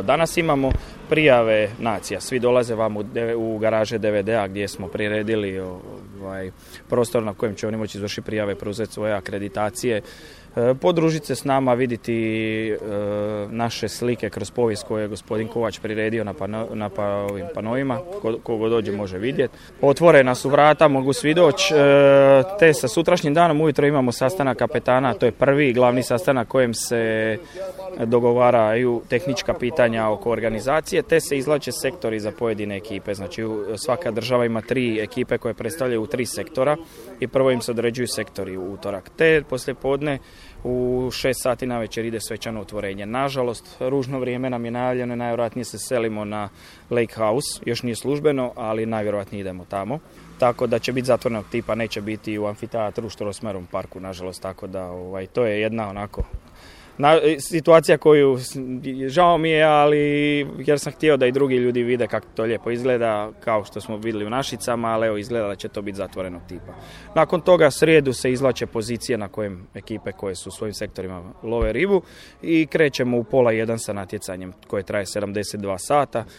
Danas imamo prijave nacija, svi dolaze vam u garaže DVD-a gdje smo priredili prostor na kojem će oni moći izvršiti prijave, preuzeti svoje akreditacije, podružiti se s nama, vidjeti naše slike kroz povijest koje je gospodin Kovač priredio na ovim panovima, kogo dođe može vidjeti. Otvorena su vrata, mogu svi doći, te sa sutrašnjim danom ujutro imamo sastanak kapetana, to je prvi glavni sastanak kojem se dogovaraju tehnička pitanja oko organizacije, te se izvlače sektori za pojedine ekipe. Znači svaka država ima 3 ekipe koje predstavljaju 3 sektora i prvo im se određuju sektori u utorak. Te poslijepodne u 6 sati navečer ide svečano otvorenje. Nažalost, ružno vrijeme nam je najavljeno, najvjerojatnije se selimo na Lake House, još nije službeno, ali najvjerojatnije idemo tamo. Tako da će biti zatvorenog tipa, neće biti u amfiteatru u Strossmayerovom parku, nažalost, tako da to je jedna onako situacija koju žao mi je, ali jer sam htio da i drugi ljudi vide kako to lijepo izgleda, kao što smo vidjeli u Našicama, ali evo izgleda da će to biti zatvorenog tipa. Nakon toga srijedu se izvlače pozicije na kojem ekipe koje su u svojim sektorima love ribu i krećemo u 12:30 sa natjecanjem koje traje 72 sata.